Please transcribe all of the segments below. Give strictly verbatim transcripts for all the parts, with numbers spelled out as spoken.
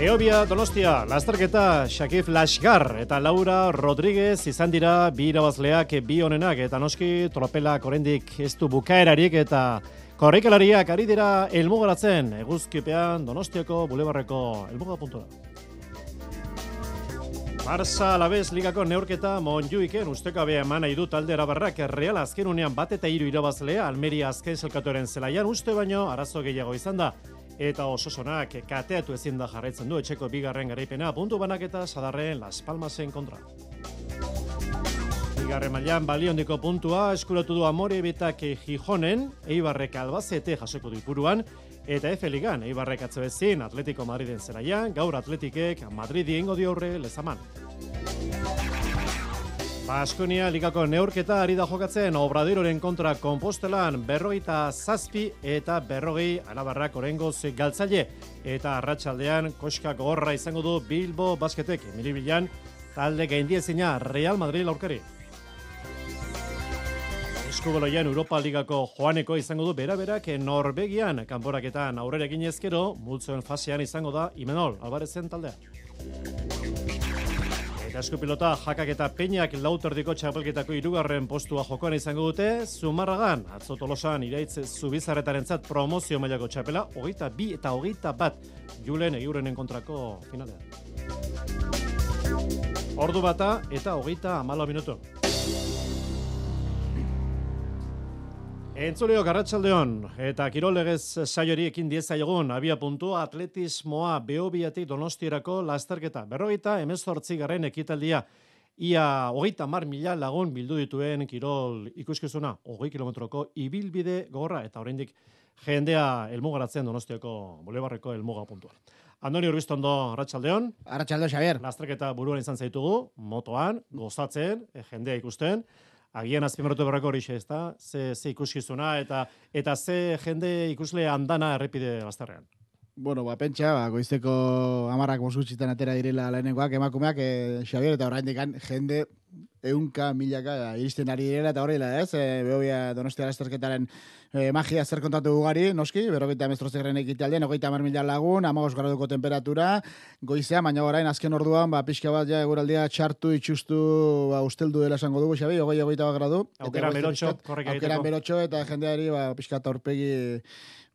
Eobia Donostia, lasterketa Shakif Lashgar eta Laura Rodríguez izan dira bi irabazleak bi honenak eta noski tropelak oraindik ez du bukaerarik eta korrikalariak ari dira helmugaratzen eguzkipean Donostiako bulebarreko helmuga puntura. Barça Alavés ligako neurketa Montjuiken ustekabea eman nahi du talde arabarrak Real azken unean bat eta hiru irabazlea Almeria azken zelkatuaren zelaian uste baino arazo gehiago izan da. Eta Osasonak kateatu ezin da jarraitzen du etxeko bigarren garaipena puntu banaketa Sadarren Las Palmasen kontra. Bigarren mailan baliondiko puntua eskuratu du Amorebitak Gijonen, Eibarrek Albacete jasoko du Ipuruan, eta F Ligan Eibarrek atzo ezin Atletico Madriden zelaian, gaur Atletikek Madridi egingo dio aurre Lezaman. Baskonia ligako neurketa ari da jokatzen Obradoiroren kontra Konpostelan berrogeita zazpi eta berrogei arabarrak orengoz galtzaile eta arratsaldean koska gogorra izango du Bilbo Basketek Milibilan talde gaindiezina Real Madrid aurkari. Eskubaloian Europa Ligako joaneko izango du bera-berak Norvegian kanporaketan aurrera eginezkero multzoen fasean izango da Imanol Alvarezen taldea. Eta eskupilota jakak eta peñak lauterdiko txapelketako hirugarren postua jokoan izango dute, Zumarragan, atzo Tolosan iraitz Zubizarretarentzat promozio mailako txapela, hogeita bi eta hogeita bat Julen Egiurenen kontrako finalean. Ordu bata eta hogeita hamalau minutu. Entzuleok arratsaldeon eta kirolegez saiori ekin diezaiogun abia puntua atletismoa Beobiatik Donostierako lasterketa. Berrogeita hemezortzi garren ekitaldia ia hogeita hamar mila lagun bildu dituen kirol ikuskizuna, hogei kilometroko ibilbide gogorra eta oraindik jendea helmugaratzen Donostiako bulebarreko helmuga puntua. Andoni Urbiztondo arratsaldeon. Arratsaldo Xabier. Lasterketa buruan izan zaitugu, motoan, gozatzen, jendea ikusten. Agian azpimarratu berrako hori xe, ezta? Ze, ze ikuskizuna eta eta ze jende ikusle andana errepide lasterrean. Bueno, ba, pentsa, ba, goizeko amarrak mosgutxitan atera direla lehenengoak, emakumeak, e, Xabier, eta oraindik jende eunka, milaka iristen ari direla, eta horrela, ez? E, Beobia Donostia lasterketaren e, magia zer kontatu ugari, noski, berrogeita hemezortzi ekitaldian, hogeita hamar mila lagun, hamabost graduko temperatura, goizean, baina orain azken orduan, ba, pixka bat ja eguraldia txartu, itxustu, ba, usteldu dela esango dugu, Xabi, hogei, hogeita bat gradu. Aukera berotxo, korrek egiteko. Aukera berotxo, eta jendeari, ba, pixka eta horpegi,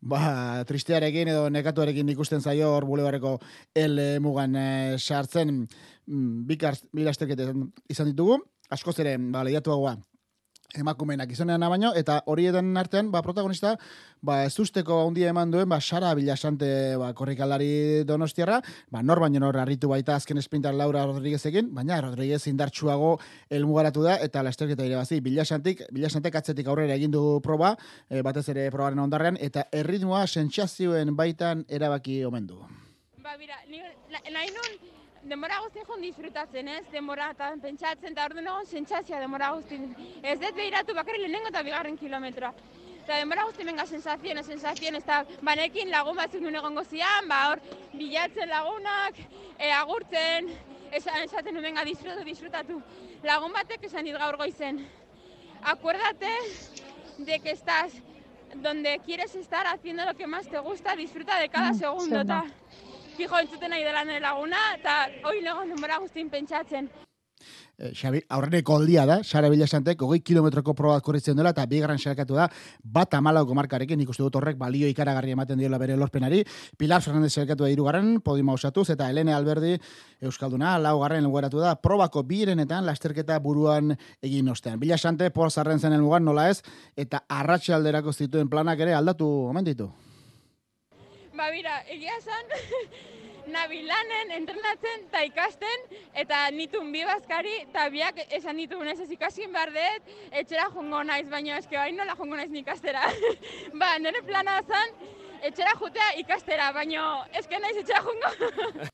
ba, tristearekin edo nekatuarekin ikusten zaio hor bulebarreko el mugan e, sartzen bi lasterketa izan ditugu, askoz ere, ba, lehiatuagoa emakumeenak izanean baino, eta horietan artean, ba, protagonista, ba, ez usteko handia eman duen, ba, Sara Bilasante, ba, korrikalari Donostiarra, ba, nor baino nor harritu baita azken esprintar Laura Rodríguezekin, baina Rodríguez indartsuago helmugaratu da, eta lasterketa irabazi, Bilasantek, Bilasantek atzetik aurrera egin du proba, e, batez ere probaren ondarrean, eta erritmoa sentsazioen baitan erabaki omen du. Ba, mira, nahi nun, denbora guztien joan disfrutatzen, ez? Denbora eta pentsatzen, eta orduan egon sentsazioa denbora guztien. Ez dut behiratu bakarri lehenengo eta bigarren kilometroa. Eta denbora guztien benga sensazioen, sensazioen, ez da banekin lagun batzuk nun egongo zian, ba hor bilatzen lagunak, e, agurtzen, esaten nun benga disfrutatu, disfrutatu. Lagun batek esan dit gaur goizen. Acuérdate de que estás donde quieres estar haciendo lo que más te gusta, disfruta de cada segundo, eta fijo entzuten nahi dela nire laguna, eta hori legon denbora guztien pentsatzen. E, Xabi, aurreneko aldia da, Sara Bilasantek, hogei kilometroko probat korritzen dela, eta bigarren sailkatu da, bat hamalauko markarekin, ikuste dut horrek balio ikaragarri ematen diola bere lorpenari, Pilar Fernandez sailkatu da hirugarren, podiuma osatuz, eta Helene Alberdi Euskalduna, laugarren lugaratu da, probako birenetan lasterketa buruan egin ostean. Bilasante, pozarren zen helmugan nola ez, eta arratsalderako zituen planak ere aldatu omen ditu. Ba, mira, egia esan, nabilanen entrenatzen eta ikasten, eta nitun bi bazkari, eta biak esan ditun ez ez ikaskin behar dut, etxera jongo naiz, baina eske bain nola jongo naiz ikastera. Ba, nire plana zen, etxera jutea ikastera, baina eske naiz etxera jongo.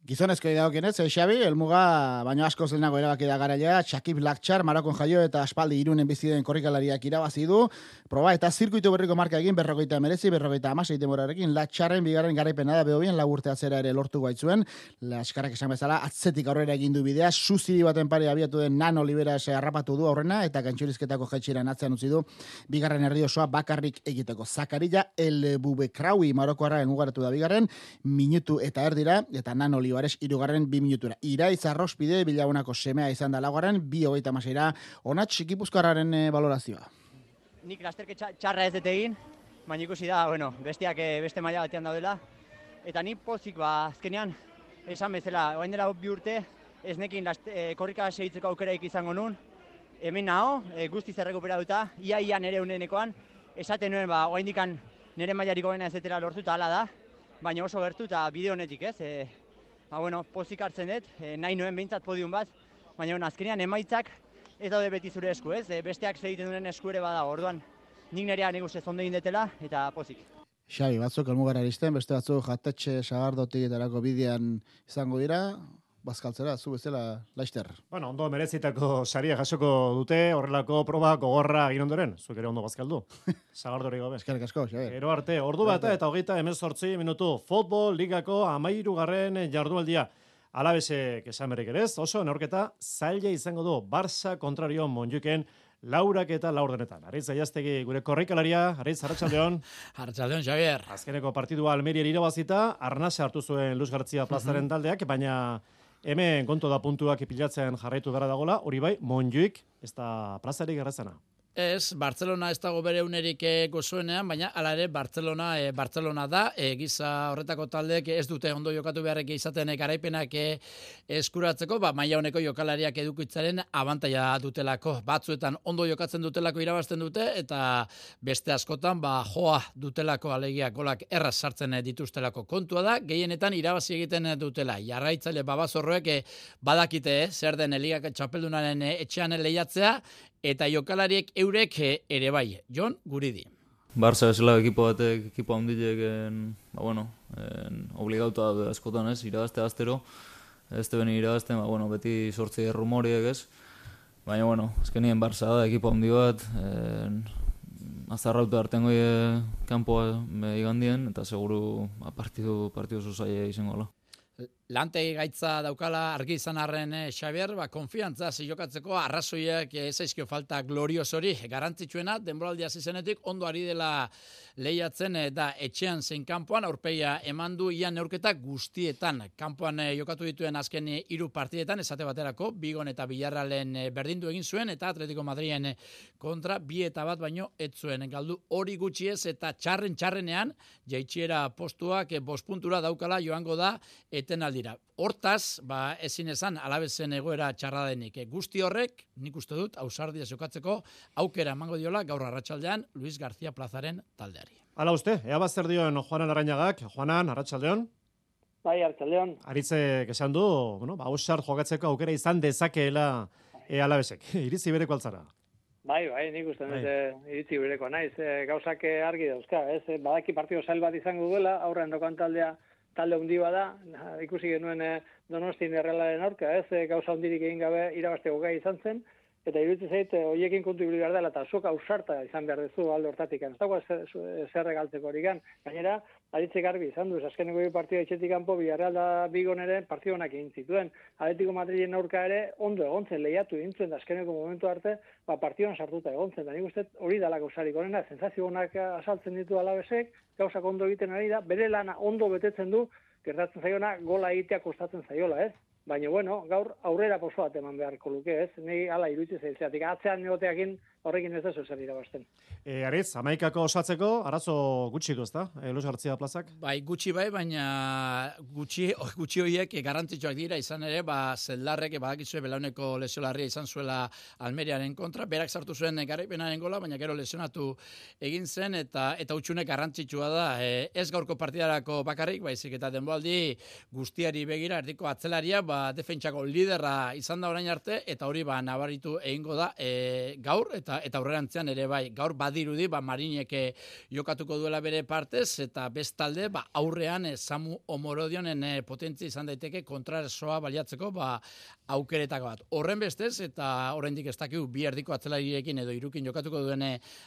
Gizonezkoei dagokienez, eh, Xabi, helmuga baino asko zelnago erabaki da garailea, Shakib Lakchar, Marokon jaio eta aspaldi Irunen bizi den korrikalariak irabazi du. Proba eta zirkuitu berriko marka egin berrogeita merezi, berrogeita hamasei denborarekin. Lakcharren bigarren garaipena da behobien lau urte atzera ere lortu baitzuen. Laskarrak esan bezala, atzetik aurrera egin du bidea, Suzi baten pare abiatu den Nano Liberas harrapatu du aurrena eta gantxurizketako jaitxiran atzean utzi du bigarren herri osoa bakarrik egiteko. Zakarilla El Bubekraui Marokoarra helmugaratu da bigarren, minutu eta erdira eta Nano Olivares irugarren bi minutura. Iraiz Arrospide Bilagunako semea izan da laugarren, bi hogeita hamaseira onatx Gipuzkoarraren e, balorazioa. Nik lasterke txarra ez dut egin, baina ikusi da, bueno, besteak beste maila batean daudela. Eta ni pozik, ba, azkenean, esan bezala, orain dela bi urte, ez nekin e, korrika segitzeko aukeraik izango nun. Hemen naho, e, guztiz errekuperatuta, ia-ia nere unenekoan, esaten nuen, ba, orain dikan nere mailarik goena ez detela lortuta hala da, baina oso gertu eta bide honetik ez. E, ba, bueno, pozik hartzen dut, e, nahi nuen behintzat podium bat, baina bueno, azkenean emaitzak ez daude beti zure esku, ez? E, besteak segiten duen esku ere bada, orduan nik nerea nik uste zondo egin detela eta pozik. Xabi, batzuk elmugara iristen, beste batzuk jatetxe sagardotik etarako bidean izango dira, bazkaltzera, zu bezala laister. Bueno, ondo merezitako saria jasoko dute, horrelako proba gogorra egin ondoren, zuek ere ondo bazkaldu. Sagardori gabe. Eskerrik asko, Xabi. Gero arte, ordu bata eta hogeita hemezortzi minutu futbol ligako hamahirugarren jardualdia. Alabesek esan berrik ere ez, oso neurketa zaila izango du Barça kontrario Montjuiken laurak eta laurdenetan. Aritz Aiaztegi gure korrikalaria, Aritz, arratsaldeon. Arratsaldeon, Xavier. Azkeneko partidua Almerian irabazita, Arnasa hartu zuen Luis García plazaren taldeak, baina hemen kontu da puntuak pilatzen jarraitu gara dagola, hori bai, Montjuik ez da plazarik errazena. Ez, Barcelona ez dago bere unerik gozoenean, baina hala ere Barcelona e, Barcelona da, e, giza horretako taldeek ez dute ondo jokatu beharrek izaten e, garaipenak e, eskuratzeko, ba, maila honeko jokalariak edukitzaren abantaila dutelako. Batzuetan ondo jokatzen dutelako irabazten dute, eta beste askotan ba, joa dutelako alegia golak erraz sartzen dituztelako kontua da, gehienetan irabazi egiten dutela. Jarraitzaile babazorroek e, badakite e, zer den Ligako txapeldunaren e, etxean lehiatzea, eta jokalariek eurek ere bai. Jon Guridi. Barça bezala ekipo batek, ekipo handiek, ba, bueno, obligauta askotan ez, irabazte astero, ez te beni irabazten, ba, bueno, beti sortzi rumoriek ez, baina, bueno, azkenien Barça da, ekipo handi bat, azarrauta hartengo kanpoa igandien, eta seguru ba, partidu, partidu zuzaia izango la. Lantegi gaitza daukala argi izan arren eh, Xavier, ba, konfiantza jokatzeko arrazoiak ez zaizkio falta gloriosori. Garantzitsuena, denboraldia zizenetik, ondo ari dela lehiatzen eh, da etxean zein kanpoan, aurpegia eman du ian neurketa guztietan. Kanpoan eh, jokatu dituen azken eh, hiru partidetan, esate baterako, Bigon eta Villarrealen eh, berdindu egin zuen, eta Atletico Madriden eh, kontra bi eta bat baino ez zuen galdu hori gutxiez, eta txarren txarrenean, jaitsiera postuak eh, bost puntura daukala joango da etenaldi. Hortaz, ba, ezin esan Alabezen egoera txarra denik. Guzti horrek, nik uste dut, ausardia jokatzeko aukera emango diola gaur arratsaldean Luis García Plazaren taldeari. Hala uste, ea bazer dion Juanan Arrainagak. Juanan, arratsaldeon. Bai, arratsaldeon. Aritzek esan du, bueno, ba, ausart jokatzeko aukera izan dezakeela e, Alabesek. Iritzi bereko altzara. Bai, bai, nik uste dut iritzi bereko naiz. E, gauzak argi dauzka, ez? Badaki partido zail bat izango duela, aurrean dokan taldea talde hundi bada, ikusi genuen eh, Donostin Errealaren aurka, ez, eh, gauza hundirik egin gabe irabazteko gai izan zen, eta iruditzen zait, horiekin kontu ibili behar dela, eta zuk ausarta izan behar dezu alde hortatik. Ez dago zer regaltzeko hori gan. Gainera, Aritze garbi izan du, azkeneko bi partida etxetik kanpo, Villarreal da Bigon ere partido honak egin zituen. Atletico Madriden aurka ere ondo egontzen, lehiatu egin zuen, azkeneko momentu arte, ba, partidoan sartuta egontzen. Da nik uste hori dela gauzarik honena, sensazio honak asaltzen ditu Alavesek, gauzak ondo egiten ari da, bere lana ondo betetzen du, gertatzen zaiona gola egitea kostatzen zaiola, ez? Baina, bueno, gaur aurrera poso bat eman beharko luke, ez? Nei hala iruditzen zaizeatik, atzean negoteakin horrekin ez da zer irabazten. E, Aritz, hamaikako osatzeko, arazo gutxi du, ezta? E, Luis García plazak? Bai, gutxi bai, baina gutxi, gutxi horiek garrantzitsuak dira, izan ere, ba, zeldarrek, badakizue belauneko lesiolarria izan zuela Almeriaren kontra, berak sartu zuen garaipenaren gola, baina gero lesionatu egin zen, eta eta utxunek garrantzitsua da, e, ez gaurko partidarako bakarrik, baizik eta denboaldi guztiari begira, erdiko atzelaria, ba, defentsako liderra izan da orain arte, eta hori ba, nabaritu egingo da e, gaur, eta eta eta aurrerantzean ere bai, gaur badirudi, ba, Marinek jokatuko duela bere partez, eta bestalde, ba, aurrean eh, Samu Omorodionen eh, potentzia izan daiteke kontraersoa baliatzeko, ba, aukeretako bat. Horren bestez, eta oraindik ez dakigu bi erdiko atzelariekin edo irukin jokatuko duen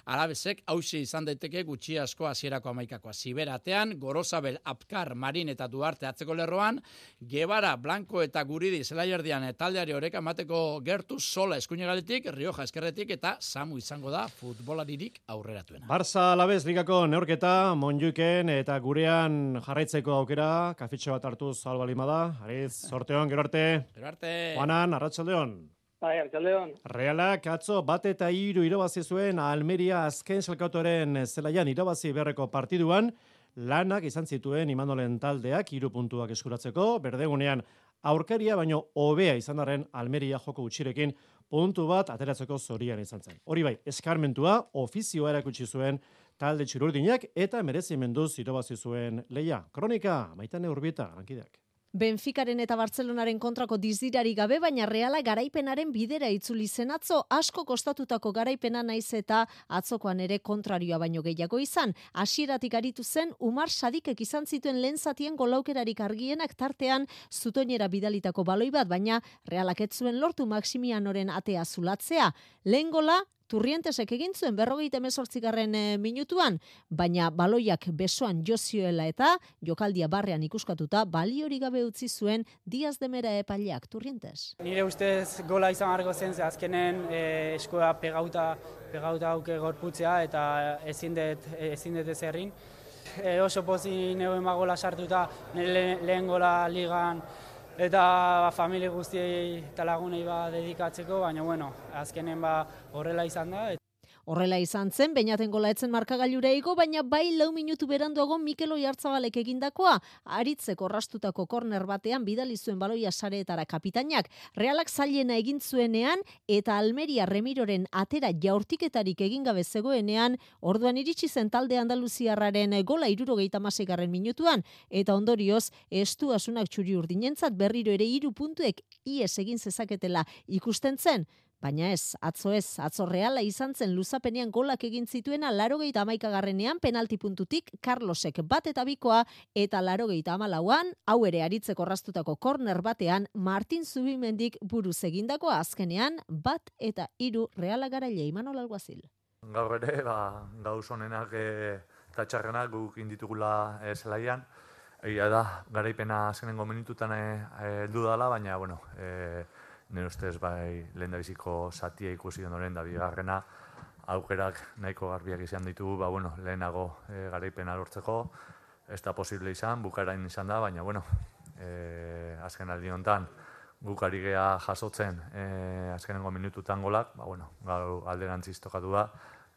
Alabesek, hausi izan daiteke gutxi asko hasierako hamaikakoa. Ziberatean, Gorosabel, Apkar, Marin eta Duarte atzeko lerroan, Gebara, Blanco eta Guridi zelaierdian taldeari oreka mateko gertu Sola eskuinegaletik, Rioja eskerretik eta Samu izango da futbolaririk aurreratuena. Barça Alabez ligako neurketa Monjuiken eta gurean jarraitzeko aukera, kafitxo bat hartuz albalima da. Ariz, sorteon, gero arte. Gero arte. Juanan, arratsaldeon. Bai, arratsaldeon. Realak atzo bat eta hiru irabazi zuen Almeria azken selkautoren zelaian irabazi beharreko partiduan, lanak izan zituen Imanolen taldeak hiru puntuak eskuratzeko, berdegunean aurkaria baino hobea izan darren Almeria joko gutxirekin puntu bat ateratzeko zorian izan zen. Hori bai, eskarmentua ofizioa erakutsi zuen talde txururdinak eta merezimenduz irabazi zuen leia. Kronika, Maitane Urbieta, lankideak. Benficaren eta Bartzelonaren kontrako dizdirari gabe, baina Reala garaipenaren bidera itzuli zen atzo, asko kostatutako garaipena naiz eta atzokoan ere kontrarioa baino gehiago izan. Hasieratik aritu zen, Umar Sadikek izan zituen lehen zatien golaukerarik argienak tartean zutoinera bidalitako baloi bat, baina Realak ez zuen lortu Maximianoren atea zulatzea. Lehen gola, Turrientesek egin zuen berrogeita hemezortzigarren minutuan, baina baloiak besoan jozioela eta jokaldia barrean ikuskatuta baliori gabe utzi zuen Diaz de Mera epaileak Turrientes. Nire ustez gola izan argo zen, ze azkenen e, eskoa pegauta, pegauta auke gorputzea eta ezin dut ezin dut ezerrin. E, oso pozik neuen gola sartuta nire lehen gola ligan eta familia guztiei eta lagunei ba dedikatzeko, baina bueno, azkenen ba horrela izan da. Horrela izan zen, Beñaten gola etzen markagailura igo, baina bai lau minutu beranduago Mikel Oiartzabalek egindakoa, aritzeko rastutako korner batean bidali zuen baloia sareetara kapitainak. Realak zailena egin zuenean eta Almeria Remiroren atera jaurtiketarik egin gabe zegoenean, orduan iritsi zen talde andaluziarraren gola hirurogeita hamaseigarren minutuan, eta ondorioz estuasunak txuri urdinentzat berriro ere hiru puntuek ies egin zezaketela ikusten zen. Baina ez, atzo ez, atzo Reala izan zen luzapenean golak egin zituena laurogeita hamaikagarrenean penalti puntutik Carlosek bat eta bikoa eta laurogeita hamalauan, hau ere aritzeko rastutako korner batean Martin Zubimendik buruz egindakoa azkenean bat eta hiru Reala garaile Imanol Alguazil. Gaur ere, ba, gauz honenak eta txarrenak guk inditugula e, zelaian. Egia da, garaipena azkenengo minututan heldu dela, baina, bueno, e, nire ustez bai lehen da biziko zatia ikusi ondoren da bigarrena aukerak nahiko garbiak izan ditugu, ba bueno, lehenago e, garaipena lortzeko, ez da posible izan, bukarain izan da, baina bueno, e, azken aldi honetan guk ari gea jasotzen e, azkenengo minututan golak, ba bueno, gau alderantziz tokatu da,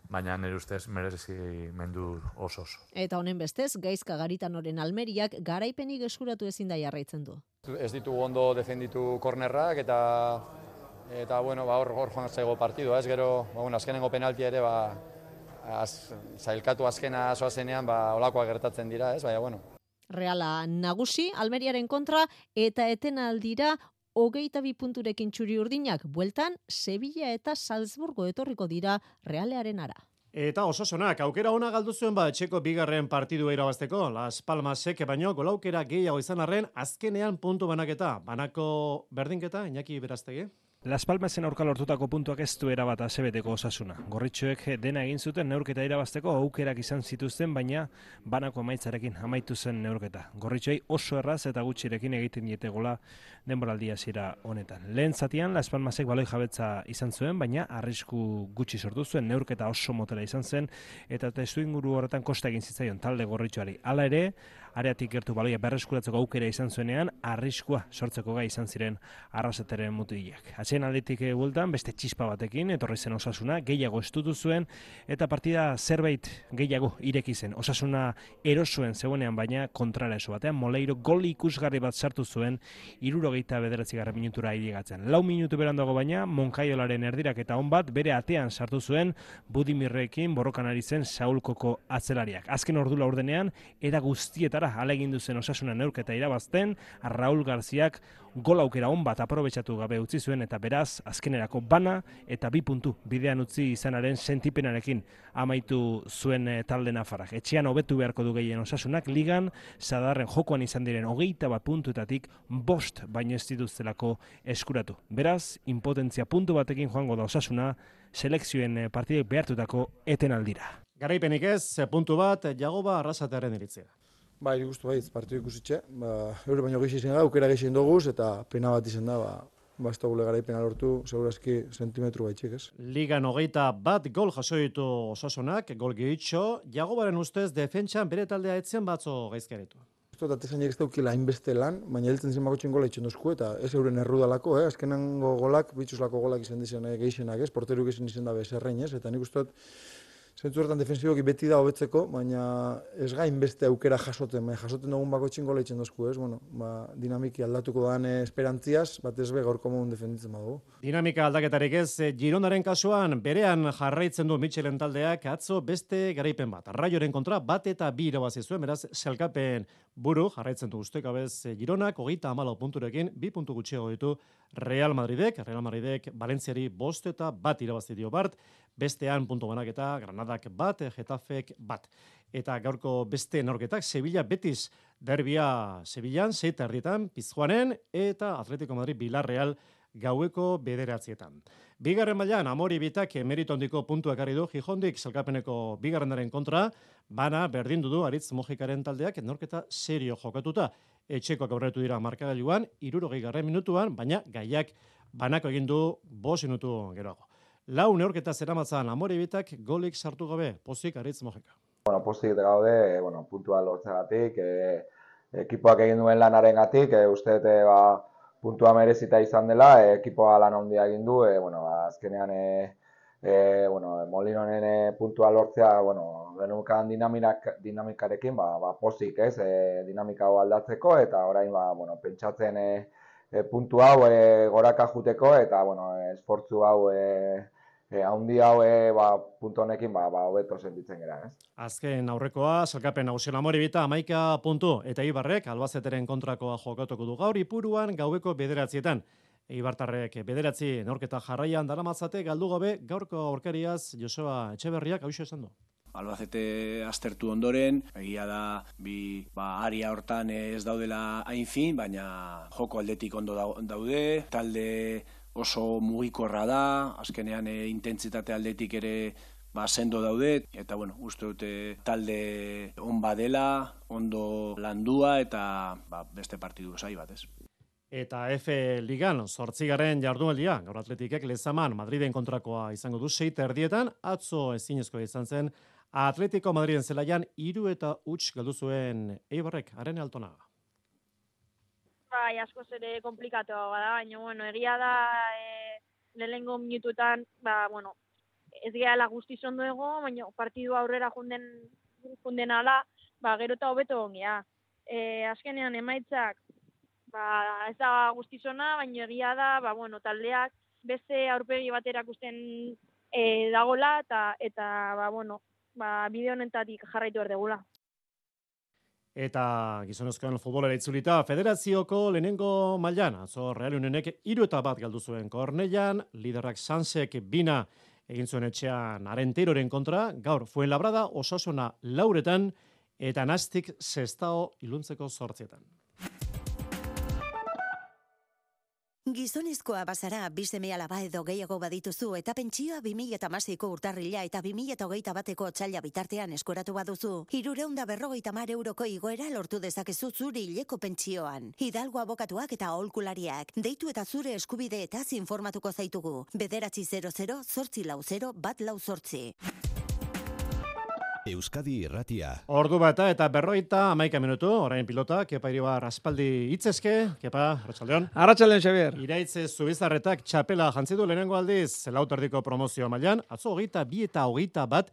baina nire ustez merezi mendu oso oso. Eta honen bestez, Gaizka Garitanoren Almeriak garaipenik eskuratu ezin da jarraitzen du. Ez ditugu ondo defenditu kornerrak eta eta bueno, ba hor hor joan zaigo partidua, ez gero, ba bueno, azkenengo penaltia ere ba az, zailkatu azkena soazenean ba holakoak gertatzen dira, ez? Baina bueno. Reala nagusi Almeriaren kontra eta etenaldira hogeita bi punturekin txuri urdinak, bueltan Sevilla eta Salzburgo etorriko dira Realearen ara. Eta Osasonak aukera ona galdu zuen ba etxeko bigarren partidua irabazteko. Las Palmasek baino golaukera gehiago izan arren azkenean puntu banaketa. Banako berdinketa Iñaki Beraztegi. Las Palmasen aurka lortutako puntuak ez du erabat asebeteko Osasuna. Gorritxoek dena egin zuten neurketa irabazteko aukerak izan zituzten, baina banako emaitzarekin amaitu zen neurketa. Gorritxoei oso erraz eta gutxirekin egiten diete gola denboraldia hasiera honetan. Lehen zatian Las Palmasek baloi jabetza izan zuen, baina arrisku gutxi sortu zuen, neurketa oso motela izan zen eta testuinguru horretan kosta egin zitzaion talde Gorritxoari. Hala ere, areatik gertu baloia berreskuratzeko aukera izan zuenean, arriskua sortzeko gai izan ziren Arrasateren mutilak. Atxeen aldetik bueltan, beste txispa batekin, etorri zen Osasuna, gehiago estutu zuen, eta partida zerbait gehiago ireki zen. Osasuna erosuen zegoenean, baina kontrara eso batean, Moleiro gol ikusgarri bat sartu zuen, hirurogeita bederatzigarren minutura irigatzen. Lau minutu berandago baina, Monkaiolaren erdirak eta on bat, bere atean sartu zuen, Budimirrekin borrokan ari zen Saulkoko atzelariak. Azken ordu laurdenean, era guztietara bezala alegindu zen Osasuna neurketa irabazten, Raul Garziak gol aukera on bat aprobetxatu gabe utzi zuen eta beraz azkenerako bana eta bi puntu bidean utzi izanaren sentipenarekin amaitu zuen talde nafarrak. Etxean hobetu beharko du gehien Osasunak ligan, Sadarren jokoan izan diren hogeita bat puntuetatik bost baino ez dituztelako eskuratu. Beraz, impotentzia puntu batekin joango da Osasuna selekzioen partidek behartutako etenaldira. Garaipenik ez, puntu bat, Jagoba Arrasatearen iritzia. Ba, iri guztu baiz, partidu ikusitxe. Ba, eure baino gehi izan da, aukera gehi doguz, eta pena bat izan da, ba, ba ez da gule garaipena lortu, segurazki sentimetru baitxik, ez? Ligan hogeita bat gol jaso ditu Osasunak, gol gehitxo, Jagobaren ustez defentsan bere taldea etzen batzo gaizkaretu. Eta atezainak ez daukila hainbeste lan, baina heltzen zen bakotxen gola itxen dozku, eta ez euren errudalako, eh? Azkenango golak, bitxuslako golak izan dizan eh, gehixenak, ez? Porteruk izan izan da bezerrein, ez? Eta nik uste dut, zentzu horretan defensiboki beti da hobetzeko, baina ez gain beste aukera jasoten, baina jasoten dugun bakotxen gola itxen dozku, ez? Bueno, ba, dinamiki aldatuko dan esperantziaz, bat ez be gaurko modun defenditzen badugu. Dinamika aldaketarik ez, Girondaren kasuan berean jarraitzen du Michelen taldeak atzo beste garaipen bat. Raioren kontra bat eta bi irabazi zuen, beraz, selkapen buru jarraitzen du ustekabez Gironak, hogeita hamalau punturekin, bi puntu gutxiago ditu Real Madridek, Real Madridek Valentziari bost eta bat irabazi dio bart, bestean puntu banaketa Granadak bat, Getafek bat. Eta gaurko beste norketak, Sevilla Betis derbia Sevillan, seita erdietan, Pizjuanen, eta Atletico Madrid Villarreal gaueko bederatzietan. Bigarren mailan Amori Bitak meritu handiko puntua ekarri du Gijondik selkapeneko bigarrenaren kontra, bana berdindu du Aritz Mojikaren taldeak norketa serio jokatuta. Etxekoak aurretu dira markagailuan, hirurogei garren minutuan, baina gaiak banako egin du bost minutu geroago. Lau neurketa zeramatzan Amori Bitak golik sartu gabe, pozik Aritz Mojika. Bueno, pozik gaude, bueno, puntua lortzegatik, e, ekipoak egin duen lanarengatik, e, uste dute ba, puntua merezita izan dela, e, ekipoa lan handia egin du, e, bueno, ba, azkenean e, e, bueno, Molinonen e, puntua lortzea, bueno, benukan dinamik, dinamikarekin, ba, ba, pozik, ez, e, dinamika hau aldatzeko, eta orain, ba, bueno, pentsatzen e, e, puntu hau e, goraka juteko, eta, bueno, e, esfortzu hau e, E, haundi hau e, ba, puntu honekin ba, ba, hobeto sentitzen gara, ez? Azken aurrekoa, salkapen nagusi Amori Bita amaika puntu, eta Ibarrek Albazeteren kontrakoa jokatuko du gaur Ipuruan gaueko bederatzietan. Ibartarrek bederatzi neurketa jarraian daramatzate galdu gabe gaurko aurkariaz Joseba Etxeberriak hauxe esan du. Albacete aztertu ondoren, egia da bi ba, aria hortan ez daudela hain fin, baina joko aldetik ondo daude, talde oso mugikorra da, azkenean e, intentsitate aldetik ere ba, sendo daude, eta bueno, uste dute talde on badela, ondo landua, eta ba, beste partidu zai bat, ez? Eta F Ligan, zortzigaren jardunaldia, gaur Atletikek Lezaman Madriden kontrakoa izango du seita erdietan, atzo ezinezkoa izan zen, Atletico Madriden zelaian hiru eta huts galdu zuen Eibarrek, Arene Altonaga. Bai, askoz ere komplikatoa da, baina, bueno, egia da e, lehenengo minututan, ba, bueno, ez gehala guztiz ondo ego, baina partidu aurrera junden, junden ala, ba, gero eta hobeto ongea. E, azkenean emaitzak, ba, ez da guztiz ona, baina egia da, ba, bueno, taldeak beste aurpegi bat erakusten e, dagola, eta, eta ba, bueno, ba, bide honetatik jarraitu erdegula. Eta gizonezkoen futbolera itzulita, federazioko lehenengo mailan, atzo Real Unionek hiru eta bat galdu zuen Kornellan, liderrak Sansek bina egin zuen etxean Arenteroren kontra, gaur Fuenlabrada Osasuna lauretan, eta Nastik Sestao iluntzeko zortzietan. Gizonezkoa bazara, bi seme alaba edo gehiago badituzu eta pentsioa bi mila hamaseiko urtarrila eta bi mila hogeita bateko otsaila bitartean eskoratu baduzu. Hirurehun eta berrogeita hamar euroko igoera lortu dezakezu zure hileko pentsioan. Hidalgo abokatuak eta aholkulariak. Deitu eta zure eskubideetaz informatuko zaitugu. Bederatzi zero zero, zortzi lau zero, bat lau zortzi. Euskadi Irratia. Ordu bata eta berroita amaika minutu, orain pilota, Kepa Iribar aspaldi hitzezke, Kepa, Arratsaldeon. Arratsaldeon, Xabier. Iraitze Zubizarretak txapela jantzi du lehenengo aldiz, lauterdiko promozio mailan, atzo hogeita bi eta hogeita bat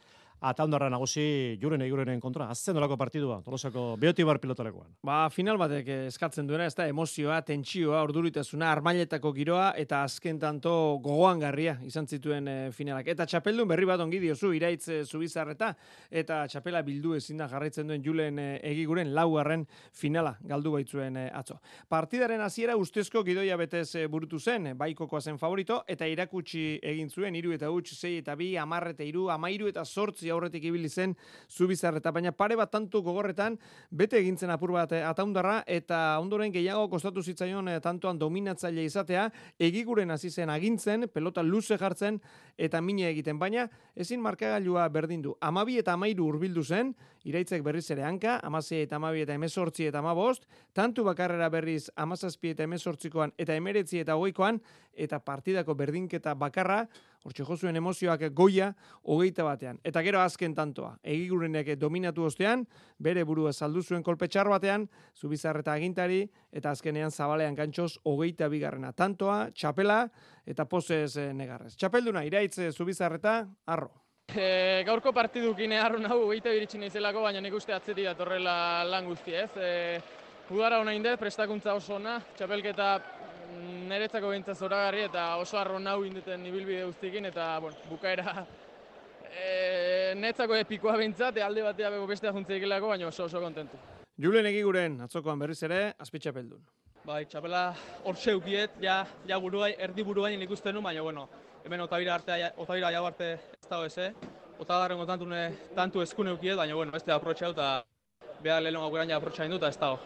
Ataundarra nagusi Julen Egurenen kontra. Azten dolako partidua, Tolosako Beotibar pilotalekoan. Ba, final batek eskatzen duena, ez da, emozioa, tentsioa, orduritasuna, armailetako giroa, eta azken tanto gogoangarria izan zituen e, finalak. Eta txapeldun berri bat ongi diozu, iraitz e, zubizarreta, eta txapela bildu ezin da jarraitzen duen Julen e, Egiguren laugarren finala galdu baitzuen e, atzo. Partidaren hasiera ustezko gidoia betez e, burutu zen, baikokoa zen favorito, eta irakutsi egin zuen, hiru eta huts, sei eta bi, hamar eta hiru, hamairu eta zortzi aurretik ibili zen zubizarreta, baina pare bat tantu gogorretan bete egintzen apur bat Ataundarra, eta ondoren gehiago kostatu zitzaion tantoan dominatzaile izatea, Egiguren hasi zen agintzen, pelota luze jartzen eta mine egiten, baina ezin markagailua berdindu. Amabi eta amairu hurbildu zen, iraitzek berriz ere hanka, amasei eta amabi eta emezortzi eta amabost, tantu bakarrera berriz amazazpi eta emezortzikoan eta emeretzi eta hogeikoan, eta partidako berdinketa bakarra, hortxe jozuen emozioak goia, hogeita batean. Eta gero azken tantoa, Egigurenek dominatu ostean, bere burua saldu zuen kolpe txar batean, Zubizarreta agintari, eta azkenean zabalean gantxoz hogeita bigarrena. Tantoa, txapela, eta pozez negarrez. Txapelduna, iraitz Zubizarreta, arro. E, gaurko partidukin harrun hau hogeita biritxin izelako, baina nik uste atzeti datorrela lan guzti, ez? E, Udara hona indet, prestakuntza oso ona, txapelketa niretzako behintzat zoragarri eta oso arro nau indeten ibilbide guztikin, eta bueno, bukaera e, netzako epikoa behintzat, alde batea bego bestea juntzeikilako, baina oso oso kontentu. Julen Egiguren, atzokoan berriz ere, azpitxapeldun. Bai, txapela hor zeukiet, ja, ja buruai, erdi buruain ikusten nu, baina bueno, hemen Otavira arte, Otavira jau arte ez dago ez, Otagarrengo tantune, tantu eskune eukiet, baina bueno, beste aprotxau eta behar lehenongo guran ja aprotxain dut, ez dago.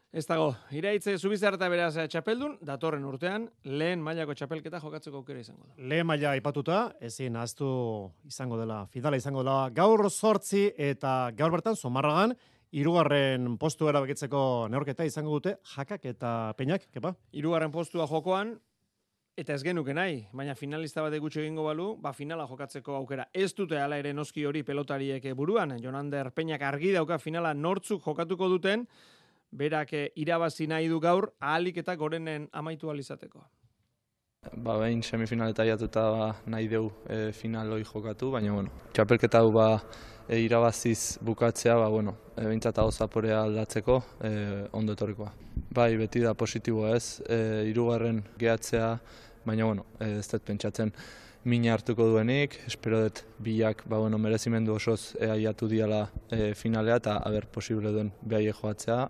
Ez dago, iraitze Zubizarreta beraz txapeldun, datorren urtean, lehen mailako txapelketa jokatzeko aukera izango da. Lehen maila aipatuta, ezin ahaztu izango dela, finala izango dela gaur zortzi eta gaur bertan Zumarragan, hirugarren postu erabakitzeko neurketa izango dute Jakak eta Peñak, kepa? Hirugarren postua jokoan, eta ez genuke nahi, baina finalista bat gutxi egingo balu, ba finala jokatzeko aukera. Ez dute hala ere noski hori pelotariek buruan, Jonander Peñak argi dauka finala nortzuk jokatuko duten, berak irabazi nahi du gaur, ahalik eta gorenen amaitu alizateko. Ba, behin semifinaleta jatuta ba, nahi deu e, final hori jokatu, baina bueno, txapelketa hau ba, e, irabaziz bukatzea, ba, bueno, e, behintzat hau zaporea aldatzeko e, ondo etorrikoa. Bai, beti da positiboa ez, e, hirugarren gehatzea, baina bueno, e, ez dut pentsatzen mina hartuko duenik, espero dut bilak ba, bueno, merezimendu osoz e, aiatu diala e, finalea eta haber posible duen behaie joatzea,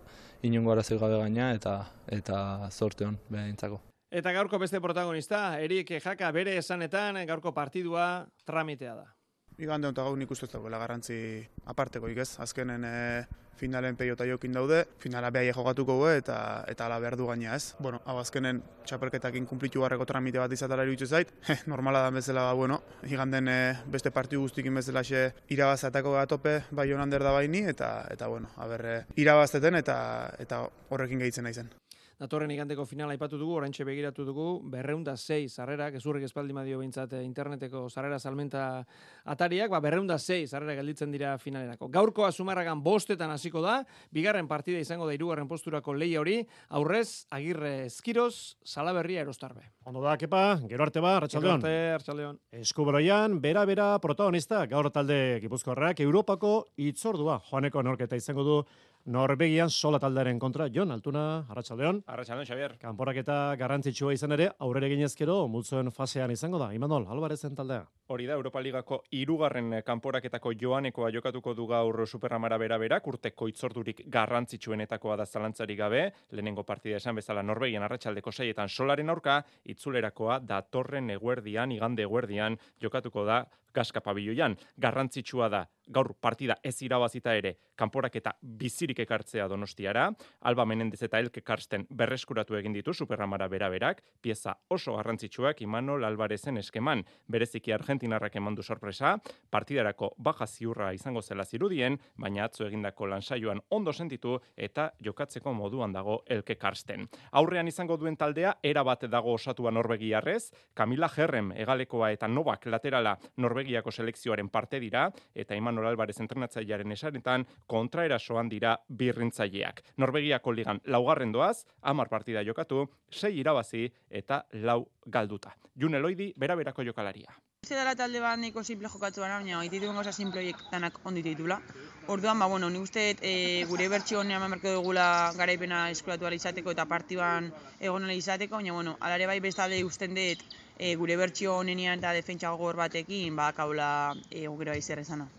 inongo arazoi gabe gaina eta eta zorte hon behintzako. Eta gaurko beste protagonista, Erik Jaka bere esanetan gaurko partidua tramitea da. Igande honetan gau nik uste ez dagoela garrantzi apartekoik ez, azkenen e, finalen peiota jokin daude, finala behaie jokatuko gu eta eta ala behar du gaina ez. Bueno, hau azkenen txapelketakin kumplitu barreko tramite bat izatara iruditzen zait, normala da bezala, ba, bueno, iganden e, beste partidu guztikin bezala xe irabazatako da tope, bai Jonander da baini, eta, eta bueno, haber, e, irabazteten eta, eta horrekin gehitzen naizen. Datorren igandeko finala aipatu dugu, oraintxe begiratu dugu, berreunda sei sarrerak, ezurrik espaldi madio behintzat interneteko sarrera salmenta atariak, ba, berreunda sei sarrera gelditzen dira finalerako. Gaurkoa Zumarragan bostetan hasiko da, bigarren partida izango da hirugarren posturako leia hori, aurrez, Agirre Eskiroz, Salaberria Erostarbe. Ondo da, kepa, gero arte ba, Arratsaldeon. Gero arte, Arratsaldeon. Eskuberoian, bera-bera protagonista, gaur talde Gipuzkoarrak, Europako itzordua, joaneko norketa izango du Norvegian sola taldearen kontra. Jon Altuna, Arratsaldeon. Arratsaldeon, Xabier. Kanporaketa garrantzitsua izan ere, aurrera eginezkero multzoen fasean izango da. Imanol, Alvarezen taldea. Hori da, Europa Ligako hirugarren kanporaketako joanekoa jokatuko du gaur Superamara bera-berak, urteko itzordurik garrantzitsuenetakoa da zalantzarik gabe, lehenengo partida esan bezala Norvegian arratsaldeko seietan solaren aurka, itzulerakoa datorren eguerdian, igande eguerdian jokatuko da Gaska pabiloian. Garrantzitsua da gaur partida ez irabazita ere kanporaketa bizirik ekartzea Donostiara. Alba Menendez eta Elke Karsten berreskuratu egin ditu Superamara bera-berak, pieza oso garrantzitsuak Imanol Alvarezen eskeman. Bereziki Argentinarrak emandu sorpresa, partidarako baja ziurra izango zela zirudien, baina atzo egindako lansaioan ondo sentitu eta jokatzeko moduan dago Elke Karsten. Aurrean izango duen taldea erabat dago osatua norvegiarrez, Camila Herrem hegalekoa eta Novak laterala Norvegiako selekzioaren parte dira eta Imanol Alvarez entrenatzailearen esanetan kontraerasoan dira birrintzaileak. Norvegiako ligan laugarren doaz, hamar partida jokatu, sei irabazi eta lau galduta. June Loidi bera-berako jokalaria. uste dela talde bat neko simple jokatu baina, baina dituen gauza simploiek danak ondi ditula. Orduan, ba, bueno, ni uste e, gure bertxio honean emarko dugula garaipena eskuratu ala izateko eta partiban egon ala izateko, baina, bueno, alare bai bestalde usten dut e, gure bertxio honenean eta defentsa gogor batekin, ba, kaula e, gero aizer ezana.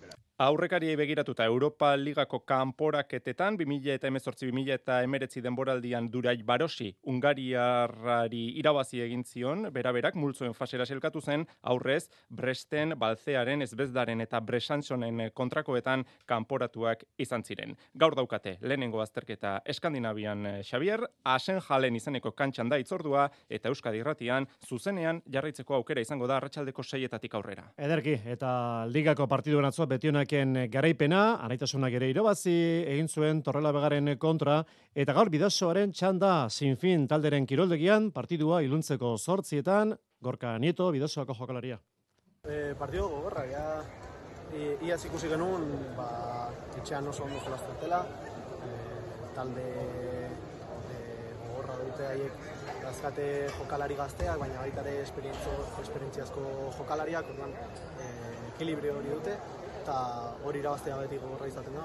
Aurrekariei begiratuta Europa Ligako kanporaketetan bi mila hemezortzi bi mila hemeretzi denboraldian Durai Barosi Hungariarrari irabazi egin zion, beraberak multzoen fasera selkatu zen, aurrez Bresten, Balzearen, Ezbezdaren eta Bresantsonen kontrakoetan kanporatuak izan ziren. Gaur daukate lehenengo azterketa Eskandinavian Xabier, Asenjalen izeneko kantxan da itzordua eta Euskadi Irratian zuzenean jarraitzeko aukera izango da arratsaldeko seietatik aurrera. Ederki, eta ligako partiduen atzo betionak garaipena, anaitasunak ere irabazi egin zuen Torrelavegaren kontra, eta gaur Bidasoaren txanda sinfin talderen kiroldegian partidua iluntzeko zortzietan, Gorka Nieto, Bidasoako jokalaria. E, partido gogorra, ja, iaz ikusi genuen, ba, etxean oso ondo jolazten dela, e, talde e, gogorra dute haiek dazkate jokalari gazteak, baina baita ere esperientziazko jokalariak, orduan, e, ekilibrio hori dute, eta hori irabaztea beti gogorra izaten da.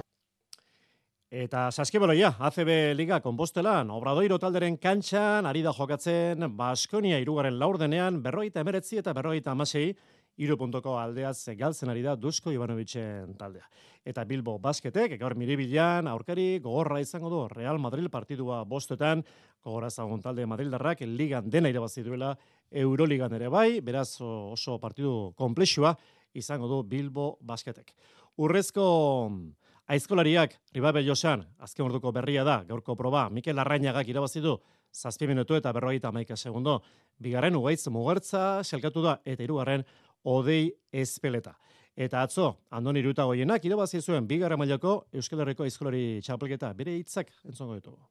Eta saskibaloia, A C B Liga Konpostelan, Obradoiro talderen kantxan, ari da jokatzen Baskonia hirugarren laurdenean, berrogeita emeretzi eta berrogeita hamasei, hiru puntuko aldeaz galtzen ari da Dusko Ivanovicen taldea. Eta Bilbo Basketek, gaur Miribilan, aurkari gogorra izango du Real Madrid partidua bostetan, gogorra ezagun talde Madrildarrak ligan dena irabazi duela, Euroligan ere bai, beraz oso partidu konplexua izango du Bilbo Basketek. Urrezko aizkolariak Ribabe Josan, azken orduko berria da, gaurko proba, Mikel Arrainagak irabazi du, zazpi minutu eta berrogeita hamaika segundo. Bigarren Ugaitz Mugertza selkatu da, eta hirugarren Odei Ezpeleta. Eta atzo, Andoni Irutagoienak irabazi zuen bigarren mailako Euskal Herriko aizkolari txapelketa, bere hitzak entzongo ditugu.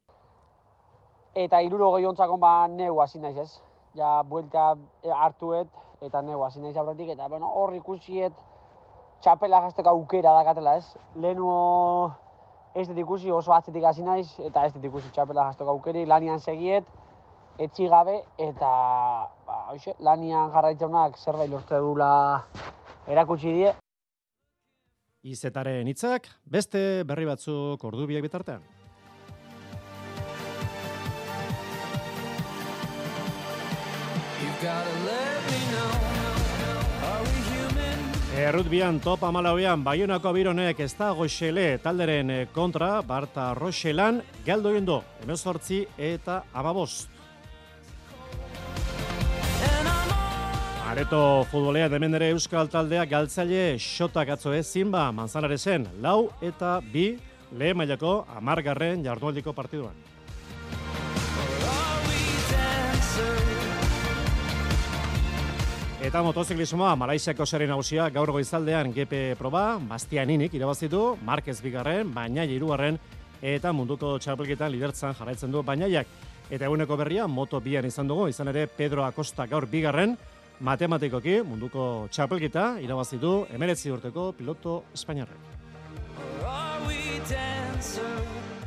Eta hirurogei ontzakon ba neu hasi naiz ez. Ja, buelta hartuet, eta neu hasi naiz aurretik, eta bueno, hor ikusiet txapela jazteko aukera dakatela ez. Lehenu ez dut ikusi oso atzetik hasi naiz, eta ez dut ikusi txapela jazteko aukeri, lanian segiet, etxi gabe, eta ba, hoxe, lanian jarraitzeunak zerbait lortu dula erakutsi die. Izetaren hitzak, beste berri batzuk ordubiak bitartean. Errutbian top amalauean Baionako Bironek ez da goxele talderen kontra, Barta Roxelan galdu egin du, hemezortzi eta hamabost. Areto futbolea hemen ere Euskal taldea galtzaile xotak atzo ezin ba Manzanarezen lau eta bi lehen mailako hamargarren jardunaldiko partiduan. Eta motoziklismoa, Malaisiako sari nagusia gaur goizaldean G P proba, Bastianinik irabazitu, Marquez bigarren, Bainaia hirugarren eta munduko txapelketan lidertzan jarraitzen du Bainaiak. Eta eguneko berria moto bian izan dugu, izan ere Pedro Acosta gaur bigarren, matematikoki munduko txapelketa irabazitu hemeretzi urteko piloto espainiarrek.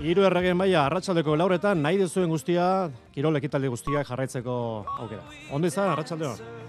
Hiru erregen baia arratsaldeko lauretan nahi duzuen guztia, kirol ekitaldi guztiak jarraitzeko aukera. Ondo izan, arratsaldeon.